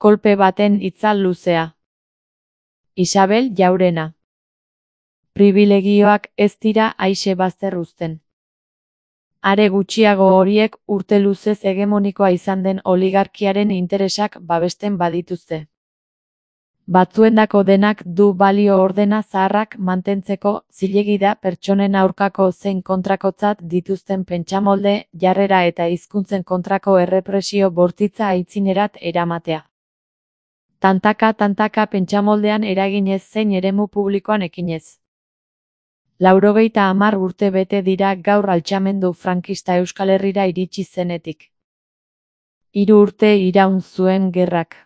Kolpe baten itzal luzea. Isabel Jaurena. Pribilegioak ez dira aise bazter uzten. Are gutxiago horiek urte luzez hegemonikoa izan den oligarkiaren interesak babesten badituzte. Batzuendako denak du balio ordena zaharrak mantentzeko zilegi da pertsonen aurkako zein kontrakotzat dituzten pentsamolde, jarrera eta hizkuntzen kontrako errepresio bortitza aitzinerat eramatea. Tantaka pentsamoldean eraginez zein eremu publikoan ekinez. 90 urte bete dira gaur altxamendu frankista Euskal Herrira iritsi zenetik. 3 urte iraun zuen gerrak.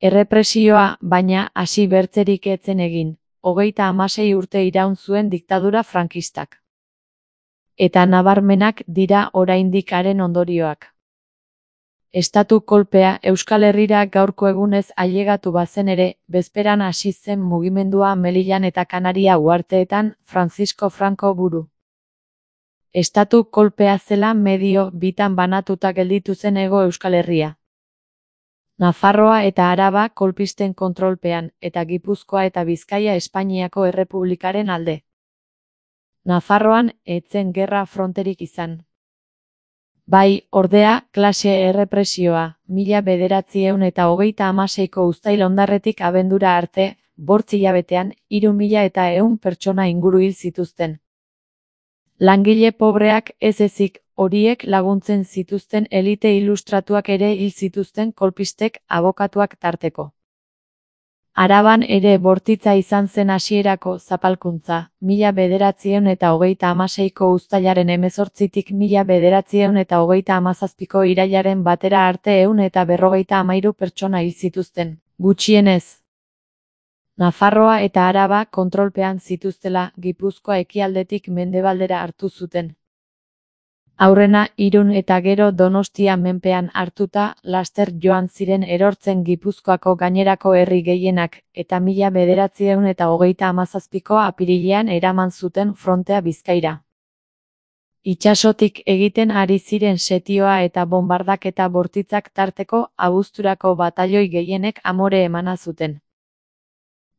Errepresioa, baina, hasi bertzerik etzen egin, 36 urte iraun zuen diktadura frankistak. Eta nabarmenak dira oraindik haren ondorioak. Estatu kolpea Euskal Herrira gaurko egunez ailegatu bazen ere, bezperan hasi zen mugimendua Melilan eta Kanaria uharteetan Francisco Franco buru. Estatu kolpea zela medio bitan banatuta gelditu zen Hego Euskal Herria. Nafarroa eta Araba kolpisten kontrolpean, eta Gipuzkoa eta Bizkaia Espainiako Errepublikaren alde. Nafarroan ez zen gerra fronterik izan. Bai, ordea, klase errepresioa, 1936ko uztail ondarretik abendura arte, 8 hilabetean, 3100 pertsona inguru hil zituzten. Langile pobreak ez ezik, horiek laguntzen zituzten elite ilustratuak ere hil zituzten kolpistek abokatuak tarteko. Araban ere bortitza izan zen hasierako zapalkuntza, 1936ko uztailaren 18tik 1937ko irailaren batera arte 153 pertsona hil zituzten, gutxienez. Nafarroa eta Araba kontrolpean zituztela Gipuzkoa ekialdetik mendebaldera hartu zuten. Aurrena Irun eta gero Donostia menpean hartuta laster joan ziren erortzen Gipuzkoako gainerako herri gehienak eta 1937ko apirilean eraman zuten frontea Bizkaira. Itsasotik egiten ari ziren setioa eta bonbardaketa bortitzak tarteko abuzturako batailoi gehienek amore emana zuten.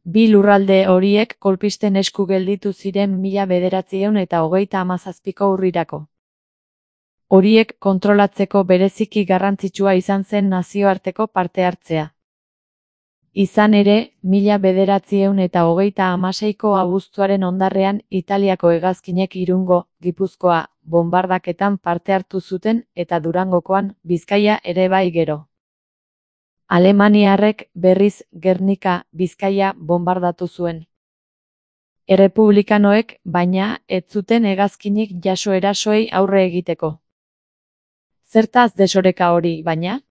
Bi lurralde horiek kolpisten esku gelditu ziren 1937ko urrirako. Horiek kontrolatzeko bereziki garrantzitsua izan zen nazioarteko parte hartzea. Izan ere, 1936ko abuztuaren ondarrean Italiako hegazkinek Irungo, Gipuzkoa, bonbardaketan parte hartu zuten eta Durangokoan, Bizkaia ere bai gero. Alemaniarrek berriz Gernika, Bizkaia bonbardatu zuen. Errepublikanoek, baina, ez zuten hegazkinik jaso erasoei aurre egiteko. Zertaz desoreka hori, baina?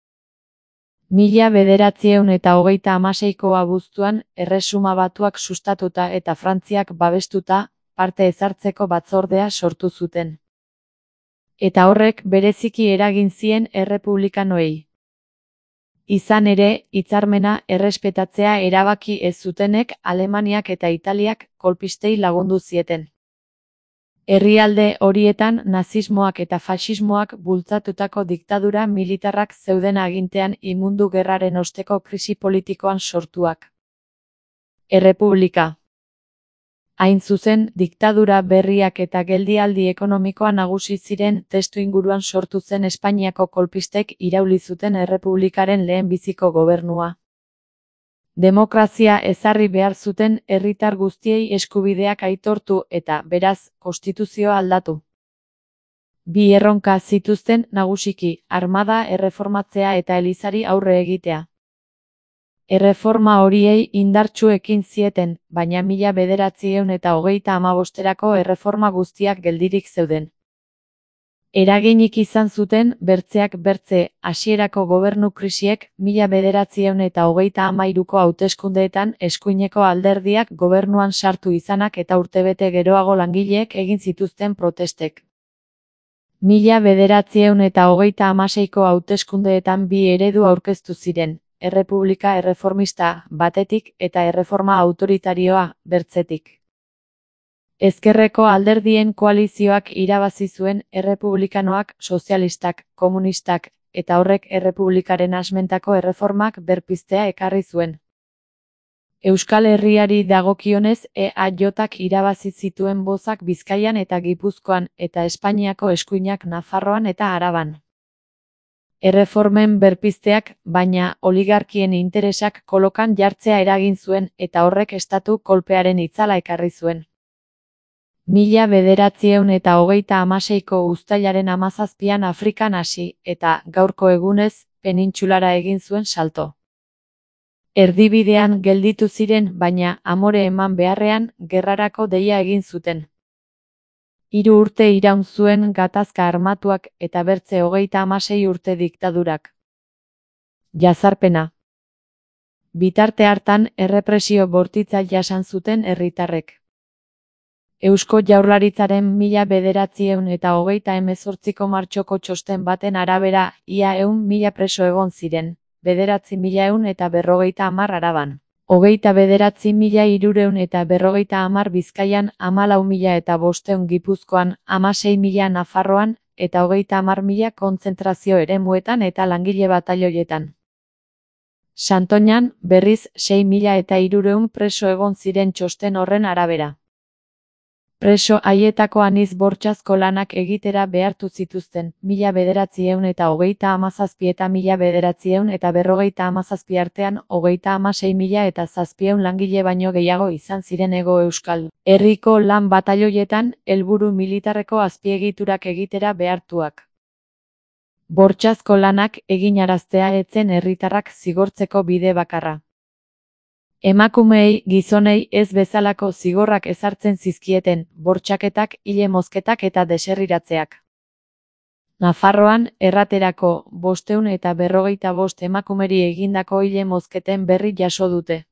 1936ko abuztuan, Erresuma Batuak sustatuta eta Frantziak babestuta, parte ezartzeko batzordea sortu zuten. Eta horrek bereziki eragin zien errepublikanoei. Izan ere, hitzarmena errespetatzea erabaki ez zutenek Alemaniak eta Italiak kolpistei lagundu zieten. Herrialde horietan nazismoak eta faxismoak bultzatutako diktadura militarrak zeuden agintean mundu gerraren osteko krisi politikoan sortuak. Errepublika. Hain zuzen, diktadura berriak eta geldialdi ekonomikoa nagusi ziren testuinguruan sortu zen Espainiako kolpistek irauli zuten errepublikaren lehenbiziko gobernua. Demokrazia ezarri behar zuten herritar guztiei eskubideak aitortu eta, beraz, konstituzioa aldatu. Bi erronka zituzten nagusiki, armada erreformatzea eta elizari aurre egitea. Erreforma horiei indartsu ekin zieten, baina 1935erako erreforma guztiak geldirik zeuden. Eraginik izan zuten, bertzeak bertze, hasierako gobernu krisiek 1933ko hauteskundeetan eskuineko alderdiak gobernuan sartu izanak eta urtebete geroago langileek egin zituzten protestek. 1936ko hauteskundeetan bi eredu aurkeztu ziren, errepublika erreformista, batetik, eta erreforma autoritarioa, bertzetik. Ezkerreko alderdien koalizioak irabazi zuen errepublikanoak, sozialistak, komunistak, eta horrek errepublikaren asmentako erreformak berpiztea ekarri zuen. Euskal Herriari dagokionez EAJak irabazi zituen bozak Bizkaian eta Gipuzkoan eta Espainiako eskuinak Nafarroan eta Araban. Erreformen berpizteak, baina, oligarkien interesak kolokan jartzea eragin zuen eta horrek estatu kolpearen itzala ekarri zuen. 1936ko uztailaren 17an Afrikan hasi eta, gaurko egunez, penintsulara egin zuen salto. Erdibidean gelditu ziren, baina amore eman beharrean gerrarako deia egin zuten. 3 urte iraun zuen gatazka armatuak eta bertze 36 urte diktadurak. Jazarpena. Bitarte hartan errepresio bortitza jasan zuten herritarrek. Eusko Jaurlaritzaren 1928ko martxoko txosten baten arabera, ia 100.000 preso egon ziren. 9.150 Araban, 29.350 Bizkaian, 14.500 Gipuzkoan, 16.000 Nafarroan, eta 30.000 kontzentrazio eremuetan eta langile batailoietan. Santoñan, berriz, 6.300 preso egon ziren txosten horren arabera. Preso haietako anitz bortxazko lanak egitera behartu zituzten, 1937 eta 1957 artean 36.700 langile baino gehiago izan ziren Hego Euskal Herriko lan batailoietan, helburu militarreko azpiegiturak egitera behartuak. Bortxazko lanak eginaraztea ez zen herritarrak zigortzeko bide bakarra. Emakumeei, gizonei ez bezalako zigorrak ezartzen zizkieten, bortxaketak, hile mozketak eta deserriratzeak. Nafarroan, erraterako, 555 emakumeri egindako hile mozketen berri jaso dute.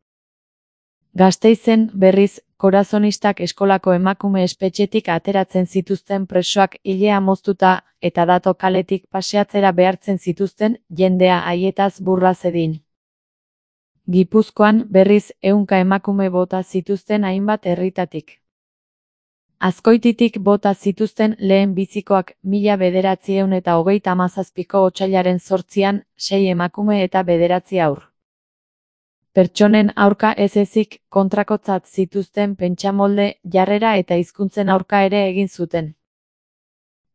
Gasteizen, berriz, korazonistak eskolako emakume espetxetik ateratzen zituzten presoak hilea moztuta eta dato kaletik paseatzera behartzen zituzten, jendea haietaz burla zedin. Gipuzkoan, berriz, 100 emakume bota zituzten hainbat herritatik. Azkoititik bota zituzten lehen bizikoak 1937ko otsailaren 8an, 6 emakume eta 9 haur. Pertsonen aurka ez ezik, kontrakotzat zituzten pentsamolde, jarrera eta hizkuntzen aurka ere egin zuten.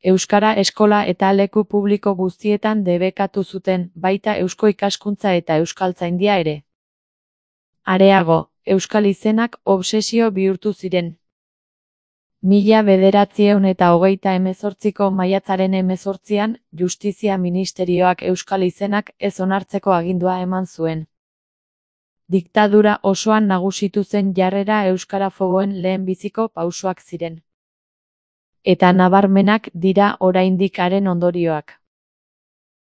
Euskara eskola eta leku publiko guztietan debekatu zuten, baita eusko ikaskuntza eta euskaltzaindia ere. Areago, euskal izenak obsesio bihurtu ziren. 1928ko maiatzaren 18an, Justizia Ministerioak euskal izenak ez onartzeko agindua eman zuen. Diktadura osoan nagusitu zen jarrera euskarafoboen lehenbiziko pausoak ziren. Eta nabarmenak dira oraindik haren ondorioak.